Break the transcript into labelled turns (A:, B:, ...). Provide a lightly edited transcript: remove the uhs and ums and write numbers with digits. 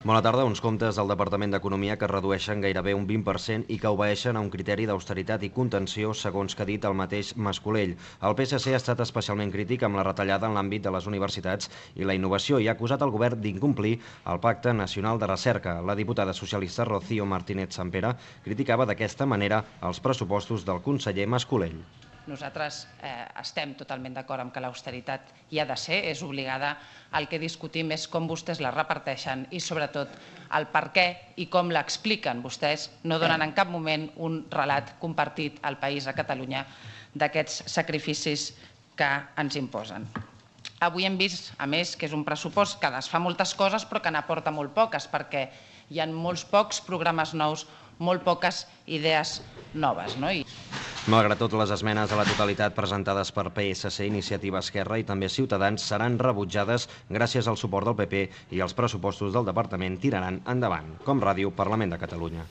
A: Bona tarda. Uns comptes del Departament d'Economia que redueixen gairebé un 20% i que obeeixen a un criteri d'austeritat i contenció, segons que ha dit el mateix Mas-Colell. El PSC ha estat especialment crític amb la retallada en l'àmbit de les universitats i la innovació i ha acusat el govern d'incomplir el Pacte Nacional de Recerca. La diputada socialista Rocío Martínez Sampere criticava d'aquesta manera els pressupostos del conseller Mas-Colell.
B: Nosaltres estem totalment d'acord amb que l'austeritat hi ha de ser, és obligada. El que discutim és com vostès la reparteixen i, sobretot, el per què i com l'expliquen. Vostès no donen en cap moment un relat compartit al país, a Catalunya, d'aquests sacrificis que ens imposen. Avui hem vist, a més, que és un pressupost que desfà moltes coses però que n'aporta molt poques, perquè hi ha molts pocs programes nous, molt poques idees noves.
A: Malgrat tot, les esmenes a la totalitat presentades per PSC, Iniciativa Esquerra i també Ciutadans seran rebutjades gràcies al suport del PP i els pressupostos del departament tiraran endavant. Com Ràdio, Parlament de Catalunya.